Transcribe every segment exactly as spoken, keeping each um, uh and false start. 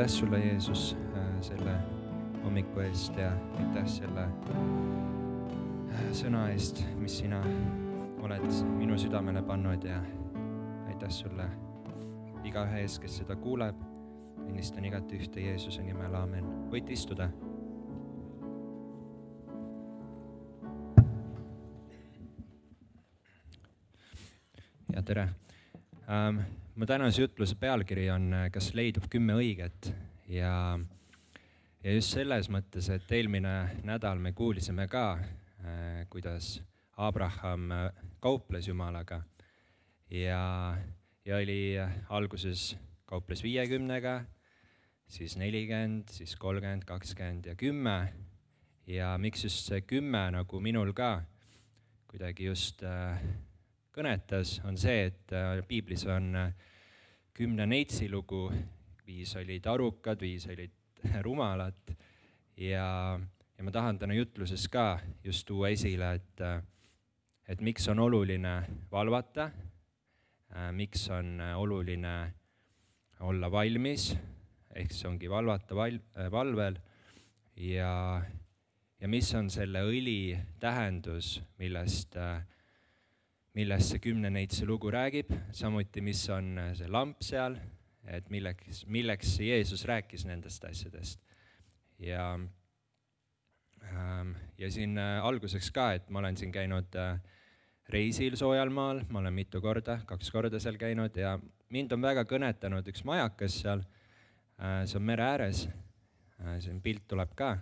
Aitäh sulle, Jeesus, selle hommiku eest ja aitäh selle sõna eest, mis sina oled minu südamele pannud ja aitäh sulle igaühe ees, kes seda kuuleb. Õnnistan igat ühte Jeesuse nimel, aamen. Võite istuda. Ja tere. Um, mu tänase jutluse pealkiri on Kas leidub kümme õiget ja, ja just selles mõttes, et eelmine nädal me kuulisime ka, äh, kuidas Abraham kauples Jumalaga ja, ja oli alguses kauples viiekümnega, siis nelikümmend, siis kolmkümmend, kakskümmend ja kümme ja miks just see kümme nagu minul ka kuidagi just äh, kõnetas, on see, et äh, piiblis on äh, kümne neitsi lugu, viis olid arukad, viis olid rumalad ja, ja ma tahan täna jutluses ka just tuua esile, et, äh, et miks on oluline valvata, äh, miks on oluline olla valmis, ehk see ongi valvata val, äh, valvel ja, ja mis on selle õli tähendus, millest äh, millest see kümne neitsi lugu räägib, samuti mis on see lamp seal, et milleks, milleks Jeesus rääkis nendest asjadest. Ja, ähm, ja siin äh, alguseks ka, et ma olen siin käinud äh, reisil soojal maal, ma olen mitu korda, kaks korda seal käinud ja mind on väga kõnetanud üks majakas seal, äh, see on mere ääres, äh, siin pilt tuleb ka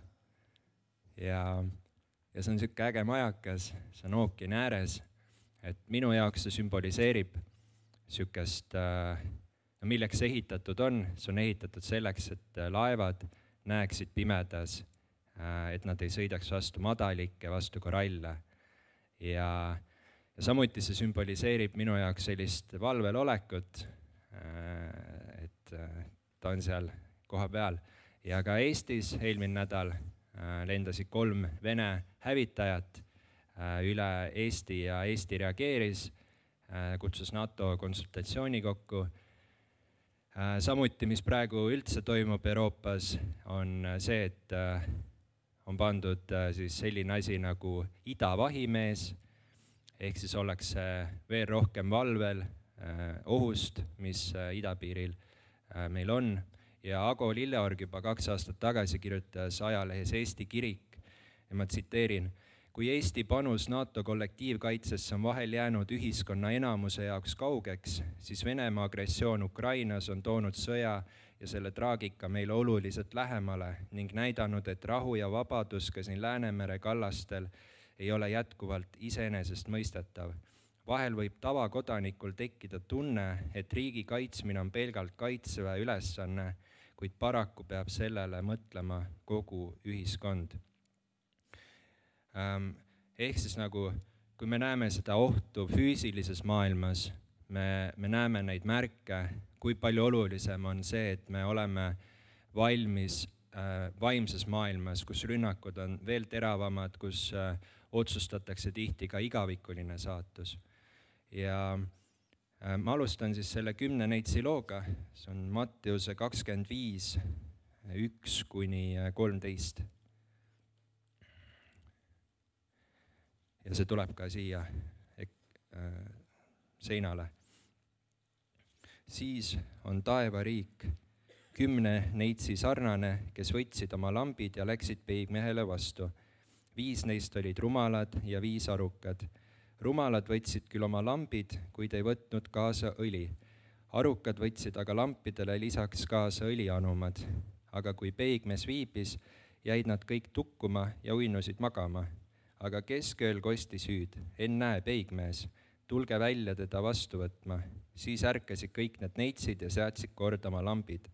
ja, ja see on siuke äge majakas, see on ookeani ääres. Et minu jaoks see sümboliseerib sükest, no milleks see ehitatud on, see on ehitatud selleks, et laevad näeksid pimedas, et nad ei sõidaks vastu madalikke, vastu koralle. Ja, ja samuti see sümboliseerib minu jaoks sellist valvel olekut, et ta on seal koha peal. Ja ka Eestis eelmine nädal lendasid kolm Vene hävitajat üle Eesti ja Eesti reageeris, kutsus NATO konsultatsiooni kokku. Samuti, mis praegu üldse toimub Euroopas, on see, et on pandud siis selline asi nagu idavahimees, ehk siis ollakse veel rohkem valvel ohust, mis idapiiril meil on. Ja Ago Lilleorg juba kaks aastat tagasi kirjutas ajalehes Eesti Kirik ja ma tsiteerin: kui Eesti panus NATO kollektiivkaitsesse on vahel jäänud ühiskonna enamuse jaoks kaugeks, siis Venemaa agressioon Ukrainas on toonud sõja ja selle traagika meile oluliselt lähemale ning näidanud, et rahu ja vabadus ka siin Läänemere kallastel ei ole jätkuvalt iseenesest mõistetav. Vahel võib tavakodanikul tekkida tunne, et riigi kaitsmine on pelgalt kaitseväe ülesanne, kuid paraku peab sellele mõtlema kogu ühiskond. Ehk siis nagu, kui me näeme seda ohtu füüsilises maailmas, me, me näeme neid märke, kui palju olulisem on see, et me oleme valmis äh, vaimses maailmas, kus rünnakud on veel teravamad, kus äh, otsustatakse tihti ka igavikuline saatus. Ja äh, ma alustan siis selle kümne neitsi looga, see on Matteuse kakskümmend viis, üks kuni kolmteist. Ja see tuleb ka siia ek, äh, seinale. Siis on taevariik kümne neitsi sarnane, kes võtsid oma lambid ja läksid peigmehele vastu. Viis neist olid rumalad ja viis arukad. Rumalad võtsid küll oma lambid, kuid ei võtnud kaasa õli. Arukad võtsid aga lampidele lisaks kaasa õlianumad. Aga kui peigmees viibis, jäid nad kõik tukkuma ja uinusid magama. Aga keskööl kostis hüüd: ennäe, peigmees, tulge välja teda vastu võtma. Siis ärkasid kõik need neitsid ja seadsid korda oma lambid.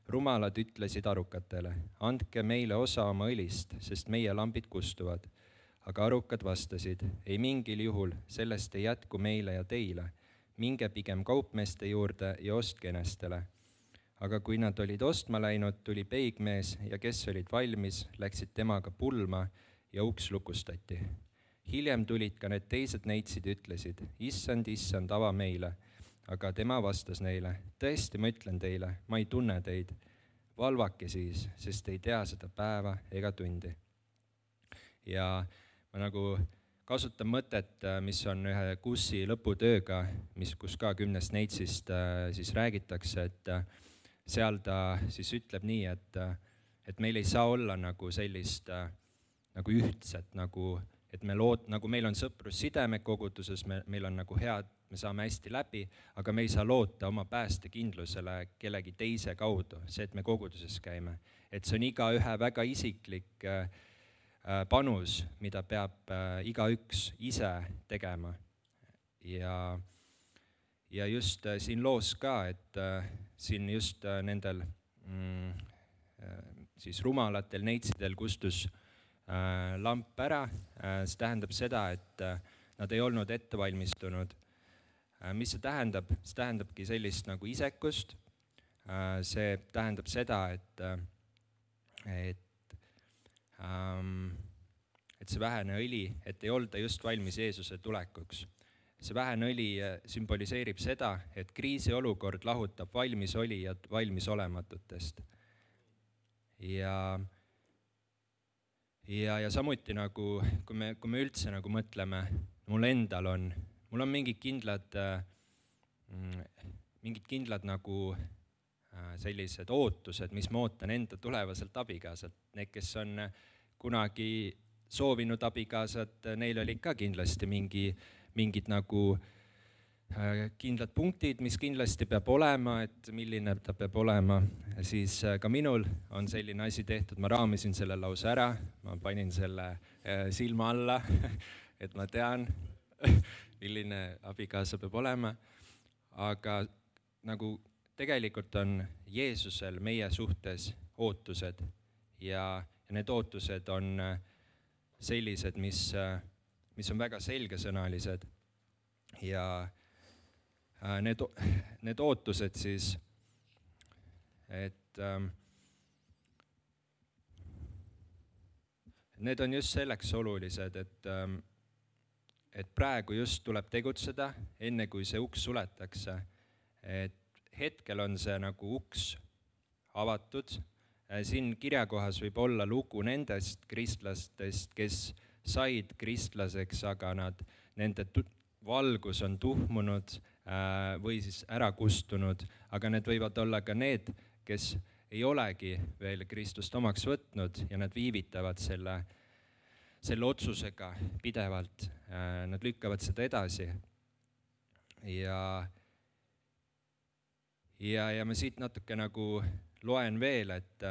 Rumalad ütlesid arukatele: andke meile osa oma õlist, sest meie lambid kustuvad. Aga arukad vastasid: ei mingil juhul, sellest ei jätku meile ja teile. Minge pigem kaupmeeste juurde ja ostke enestele. Aga kui nad olid ostma läinud, tuli peigmees ja kes olid valmis, läksid temaga pulma ja uks lukustati. Hiljem tulid ka need teised neitsid ütlesid: issand, issand, ava meile. Aga tema vastas neile: tõesti, ma ütlen teile, ma ei tunne teid. valvake siis, sest ei tea seda päeva ega tundi. Ja ma nagu kasutan mõtet, mis on ühe Kussi lõputööga, mis, kus ka kümnest neitsist siis räägitakse, et seal ta siis ütleb nii, et, et meil ei saa olla nagu sellist nagu ühtset, nagu, et me lood, nagu meil on sõprussidemed koguduses, me, meil on nagu head, me saame hästi läbi, aga me ei saa loota oma päästekindlusele kellegi teise kaudu, see, et me koguduses käime. Et see on igaühe väga isiklik äh, panus, mida peab äh, igaüks ise tegema. Ja, ja just äh, siin loos ka, et äh, siin just äh, nendel mm, äh, siis rumalatel neitsidel kustus äh, lamp ära, äh, see tähendab seda, et äh, nad ei olnud ettevalmistunud. Mis see tähendab? See tähendabki sellist nagu isekust. See tähendab seda, et, et, et see vähene õli, et ei olda just valmis Jeesuse tulekuks. See vähene õli sümboliseerib seda, et kriisiolukord lahutab valmisolijad valmisolematutest. Ja, ja, ja samuti nagu, kui me, kui me üldse nagu mõtleme, mul endal on Mul on mingid kindlad, mingid kindlad nagu sellised ootused, mis ma ootan enda tulevaselt abikaasalt. Need, kes on kunagi soovinud abikaasat, neil oli ka kindlasti mingi, mingid nagu kindlad punktid, mis kindlasti peab olema, et milline ta peab olema. Siis ka minul on selline asi tehtud, ma raamisin selle lause ära, ma panin selle silma alla, et ma tean, milline abikaasa peab olema, aga nagu tegelikult on Jeesusel meie suhtes ootused ja, ja need ootused on sellised, mis, mis on väga selgesõnalised ja need, need ootused siis, et ähm, need on just selleks olulised, et ähm, et praegu just tuleb tegutseda, enne kui see uks suletakse. Et hetkel on see nagu uks avatud. Siin kirjakohas võib olla lugu nendest kristlastest, kes said kristlaseks, aga nad, nende valgus on tuhmunud või siis ära kustunud, aga need võivad olla ka need, kes ei olegi veel Kristust omaks võtnud ja nad viivitavad selle selle otsusega pidevalt, nad lükkavad seda edasi. Ja, ja, ja ma siit natuke nagu loen veel, et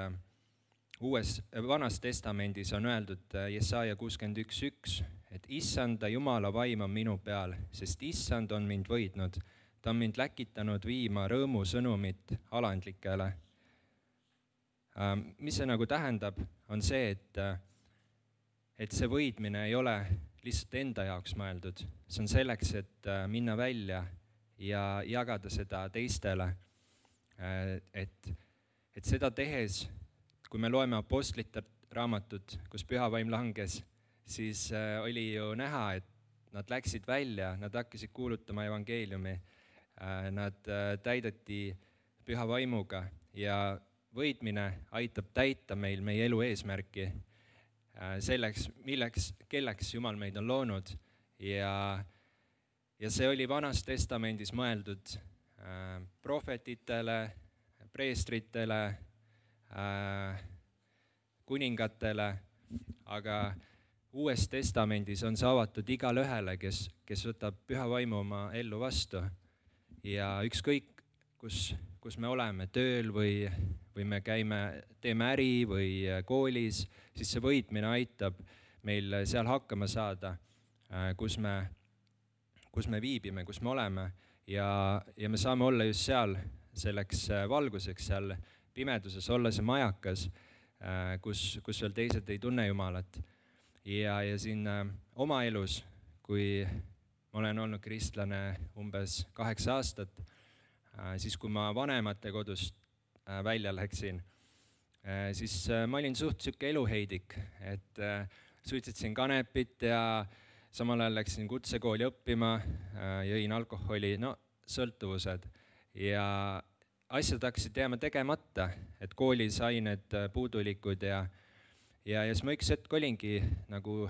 uues, vanas testamendis on öeldud Jesaja kuuskümmend üks üks, et issanda Jumala vaim on minu peal, sest issand on mind võidnud. Ta on mind läkitanud viima rõõmu sõnumit alandlikele. Mis see nagu tähendab, on see, et et see võidmine ei ole lihtsalt enda jaoks mõeldud. See on selleks, et minna välja ja jagada seda teistele. Et, et seda tehes, kui me loeme apostlite raamatut, kus püha vaim langes, siis oli ju näha, et nad läksid välja, nad hakkasid kuulutama evangeeliumi. Nad täideti püha vaimuga ja võidmine aitab täita meil meie elu eesmärki. Selleks, milleks, kelleks Jumal meid on loonud ja, ja see oli vanas testamendis mõeldud äh, prohvetitele, preestritele, äh, kuningatele, aga uues testamendis on see avatud igale ühele, kes, kes võtab püha vaimu oma ellu vastu ja ükskõik, kus, kus me oleme tööl või või me käime, teeme äri või koolis, siis see võitmine aitab meil seal hakkama saada, kus me, kus me viibime, kus me oleme ja, ja me saame olla just seal selleks valguseks, seal pimeduses olla see majakas, kus, kus veel teised ei tunne Jumalat. Ja, ja siin oma elus, kui ma olen olnud kristlane umbes kaheksa aastat, siis kui ma vanemate kodust välja läksin, siis ma olin suht siuke eluheidik, et suitsetasin kanepit ja samal ajal läksin kutsekooli õppima, jõin alkoholi, no sõltuvused. Ja, asjad hakkasid jääma tegemata, et koolis ained puudulikud ja, ja, ja siis ma üks hetk olingi nagu,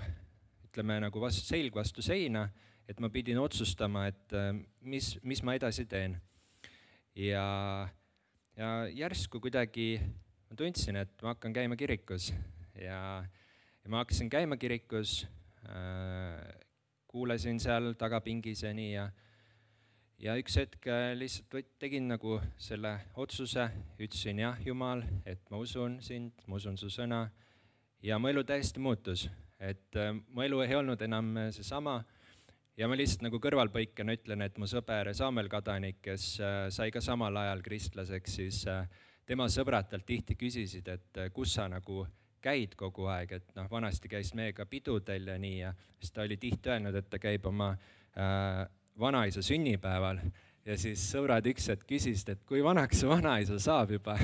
ütleme, nagu vastu, selg vastu seina, et ma pidin otsustama, et mis, mis ma edasi teen. Ja, ja järsku kuidagi ma tundsin, et ma hakkan käima kirikus ja, ja ma hakkasin käima kirikus, äh, kuulasin seal tagapingis ja nii ja, ja üks hetk lihtsalt võt, tegin nagu selle otsuse, ütlesin jah, Jumal, et ma usun sind, ma usun su sõna ja mu elu täiesti muutus, et äh, mu elu ei olnud enam seesama. Ja ma lihtsalt nagu kõrvalpõikena ütlen, et mu sõber Saamel Kadanik, kes äh, sai ka samal ajal kristlaseks, siis äh, tema sõbrad talt tihti küsisid, et äh, kus sa nagu käid kogu aeg, et noh, vanasti käis meiega pidudel ja nii ja siis ta oli tihti öelnud, et ta käib oma äh, vanaisa sünnipäeval ja siis sõbrad üks hetk küsisid, et kui vanaks su vanaisa saab juba.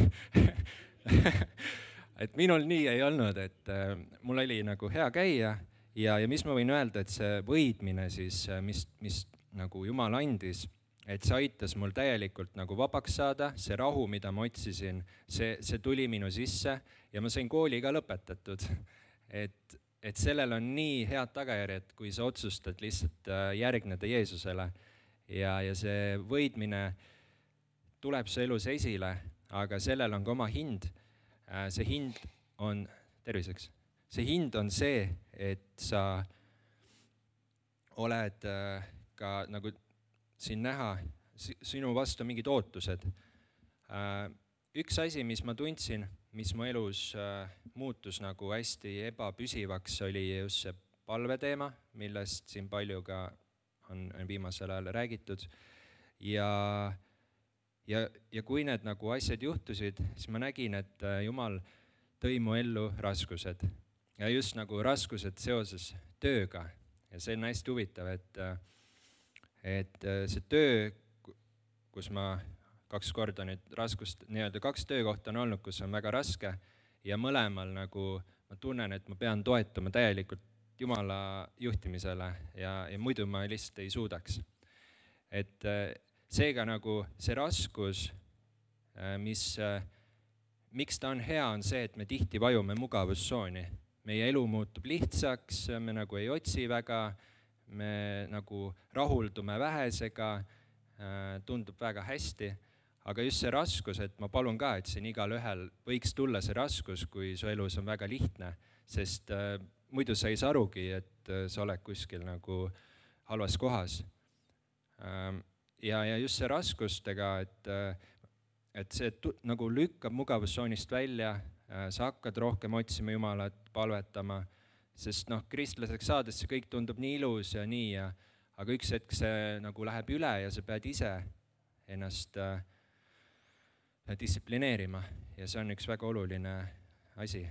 Et minul nii ei olnud, et äh, mul oli nagu hea käia. Ja, ja mis ma võin öelda, et see võidmine siis, mis, mis nagu Jumal andis, et see aitas mul täielikult nagu vabaks saada, see rahu, mida ma otsisin, see, see tuli minu sisse ja ma sain kooli ka lõpetatud. Et, et sellel on nii head tagajärjed, kui sa otsustad lihtsalt järgneda Jeesusele ja, ja see võidmine tuleb su elus esile, aga sellel on ka oma hind. See hind on, terviseks, see hind on see, et sa oled ka nagu siin näha, sinu vastu mingid ootused. Üks asi, mis ma tundsin, mis mu elus muutus nagu hästi ebapüsivaks, oli just see palveteema, millest siin palju ka on, on viimasel ajal räägitud. Ja, ja, ja kui need nagu asjad juhtusid, siis ma nägin, et Jumal tõi mu ellu raskused. Ja just nagu raskused seoses tööga. Ja see on hästi huvitav, et, et see töö, kus ma kaks korda nüüd raskust, nii-öelda kaks töökohta on olnud, kus on väga raske ja mõlemal nagu ma tunnen, et ma pean toetuma täielikult Jumala juhtimisele ja, ja muidu ma lihtsalt ei suudaks. Et seega nagu see raskus, mis, miks ta on hea, on see, et me tihti vajume mugavustsooni. Meie elu muutub lihtsaks, me nagu ei otsi väga, me nagu rahuldume vähesega, tundub väga hästi, aga just see raskus, et ma palun ka, et siin igal ühel võiks tulla see raskus, kui su elus on väga lihtne, sest äh, muidu sa ei saa arugi, et äh, sa oled kuskil nagu halvas kohas. Ähm, ja, ja just see raskustega, et, äh, et see tu, nagu lükkab mugavustsoonist välja, sa hakkad rohkem otsima Jumalat, palvetama, sest noh, kristlaseks saades see kõik tundub nii ilus ja nii, ja, aga üks hetk see nagu läheb üle ja sa pead ise ennast äh, distsiplineerima ja see on üks väga oluline asi.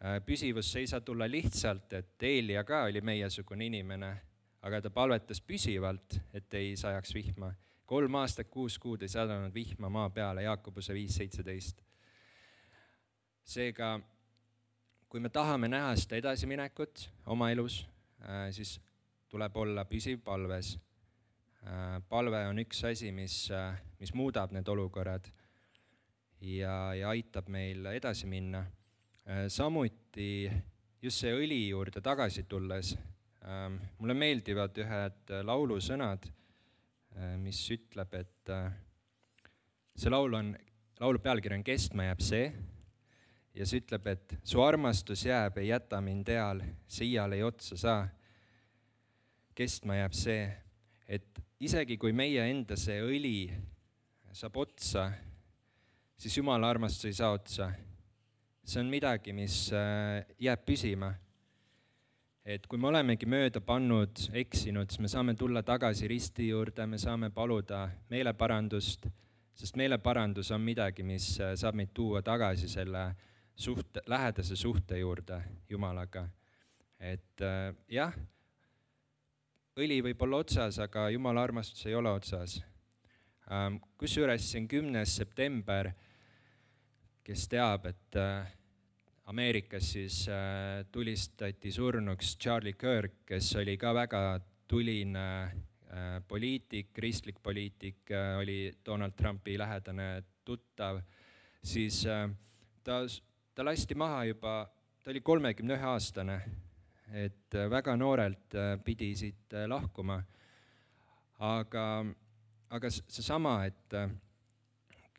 Äh, püsivus ei saa tulla lihtsalt, et Eelia ka oli meiesugune inimene, aga ta palvetas püsivalt, et ei sajaks vihma. Kolm aastat, kuus kuud ei sadanud vihma maa peale, Jaakobuse viis seitseteist. Seega, kui me tahame näha seda edasiminekut oma elus, siis tuleb olla püsiv palves. Palve on üks asi, mis, mis muudab need olukorrad ja, ja aitab meil edasi minna. Samuti just see õli juurde tagasi tulles, mulle meeldivad ühed laulusõnad, mis ütleb, et see laul on, laulu pealkiri on Kestma jääb see, ja see ütleb, et su armastus jääb, ei jäta mind eal, see iial ei otsa saa. Kestma jääb see, et isegi kui meie enda see õli saab otsa, siis Jumala armastus ei saa otsa. See on midagi, mis jääb püsima. Et kui me olemegi mööda pannud, eksinud, siis me saame tulla tagasi risti juurde, me saame paluda meeleparandust, sest meeleparandus on midagi, mis saab meid tuua tagasi selle suhte, lähedase suhte juurde Jumalaga. Et äh, jah, õli võib olla otsas, aga Jumala armastus ei ole otsas. Ähm, kusjuures siin kümnes september, kes teab, et äh, Ameerikas siis äh, tulistati surnuks Charlie Kirk, kes oli ka väga tuline poliitik, kristlik poliitik, oli Donald Trumpi lähedane tuttav, siis ta, ta lasti maha juba, ta oli kolmekümne ühe aastane, et väga noorelt pidi siit lahkuma. Aga, aga seesama, et,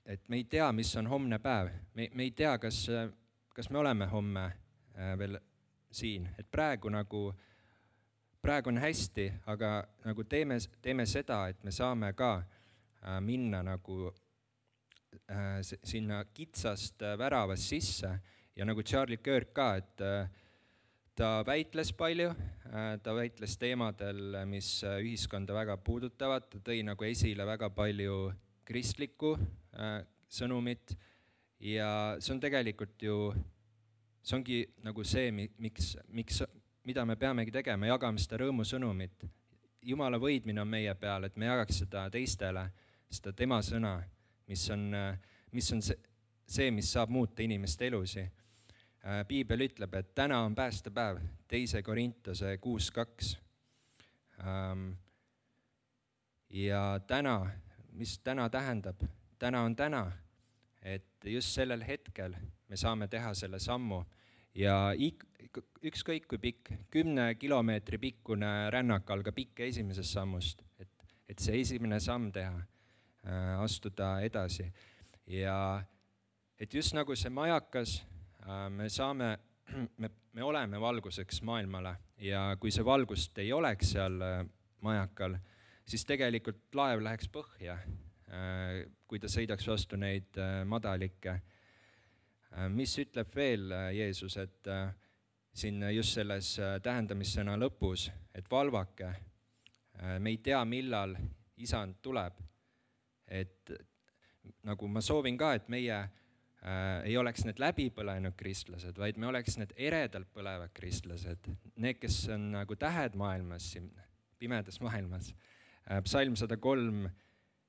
et me ei tea, mis on homne päev, me, me ei tea, kas, kas me oleme homme veel siin, et praegu nagu Praegu on hästi, aga nagu teeme, teeme seda, et me saame ka äh, minna nagu äh, sinna kitsast äh, väravast sisse ja nagu Charlie Kirk ka, et äh, ta väitles palju, äh, ta väitles teemadel, mis äh, ühiskonda väga puudutavad, ta tõi nagu esile väga palju kristlikku äh, sõnumit ja see on tegelikult ju, see ongi nagu see, miks, miks mida me peamegi tegema, jagame seda rõõmusõnumit. Jumala võidmine on meie peal, et me jagaks seda teistele, seda tema sõna, mis on, mis on see, see, mis saab muuta inimeste elusi. Piibel ütleb, et täna on päästepäev, teise Korintuse kuus kaks. Ja täna, mis täna tähendab? Täna on täna, et just sellel hetkel me saame teha selle sammu. Ja ükskõik kui pikk, kümne kilomeetri pikkune rännak algab ikka esimesest sammust, et, et see esimene samm teha, äh, astuda edasi. Ja et just nagu see majakas, äh, me saame, me, me oleme valguseks maailmale ja kui see valgust ei oleks seal äh, majakal, siis tegelikult laev läheks põhja, äh, kui ta sõidaks vastu neid äh, madalikke. Mis ütleb veel Jeesus, et siin just selles tähendamissõna lõpus, et valvake, me ei tea, millal isand tuleb. Et nagu ma soovin ka, et meie ei oleks need läbipõlenud kristlased, vaid me oleks need eredalt põlevad kristlased, need, kes on nagu tähed maailmas, pimedas maailmas. Psalm sada kolm,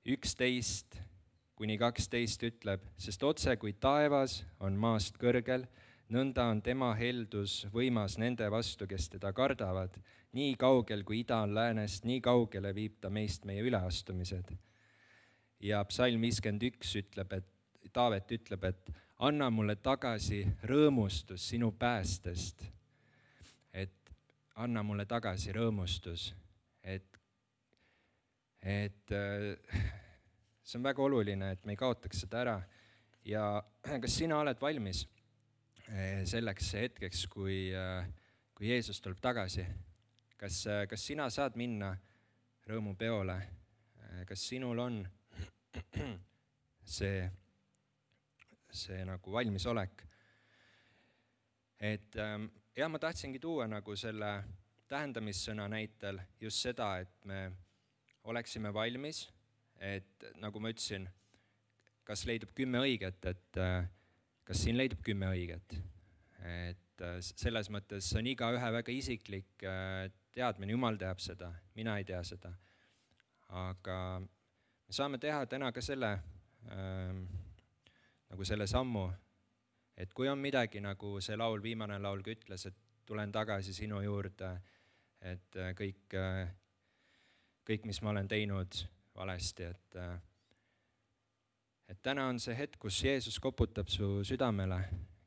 üksteist kuni kaksteist ütleb, sest otse kui taevas on maast kõrgel, nõnda on tema heldus võimas nende vastu, kes teda kardavad. Nii kaugel kui ida on läänest, nii kaugele viib ta meist meie üleastumised. Ja psalm viiskümmend üks ütleb, et Taavet ütleb, et anna mulle tagasi rõõmustus sinu päästest. Et anna mulle tagasi rõõmustus, et, et see on väga oluline, et me ei kaotaks seda ära. Ja kas sina oled valmis selleks hetkeks, kui, kui Jeesus tuleb tagasi? Kas, kas sina saad minna rõõmupeole? Kas sinul on see, see nagu valmisolek? Et ja ma tahtsingi tuua nagu selle tähendamissõna näitel just seda, et me oleksime valmis, et nagu ma ütlesin, kas leidub kümme õiget, et kas siin leidub kümme õiget. Et selles mõttes on iga ühe väga isiklik teadmine, Jumal teab seda, mina ei tea seda. Aga me saame teha täna ka selle, ähm, nagu selle sammu, et kui on midagi, nagu see laul, viimane laul ütles, et tulen tagasi sinu juurde, et kõik, kõik mis ma olen teinud valesti, et, et täna on see hetk, kus Jeesus koputab su südamele,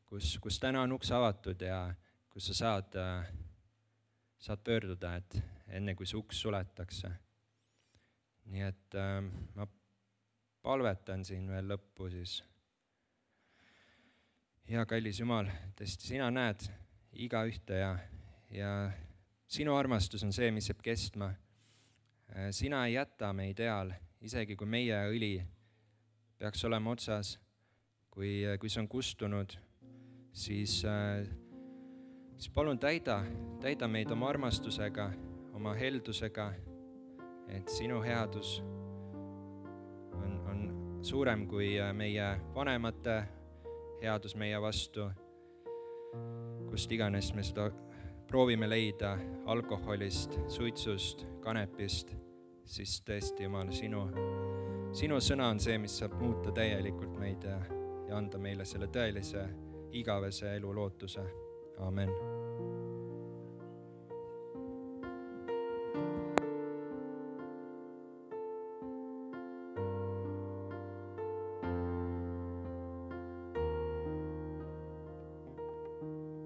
kus, kus täna on uks avatud ja kus sa saad, saad pöörduda, et enne kui see uks suletakse. Nii et äh, ma palvetan siin veel lõppu siis. Hea kallis Jumal, tõesti sina näed iga ühte ja, ja sinu armastus on see, mis jääb kestma. Sina ei jäta meid eal, isegi kui meie õli peaks olema otsas, kui, kui see on kustunud, siis, siis palun täida, täida meid oma armastusega, oma heldusega, et sinu headus on, on suurem kui meie vanemate headus meie vastu, kust iganes me seda proovime leida alkoholist, suitsust, kanepist, siis tõesti, Jumal, sinu, sinu sõna on see, mis saab muuta täielikult meid ja, ja anda meile selle tõelise igavese elu lootuse. Amen.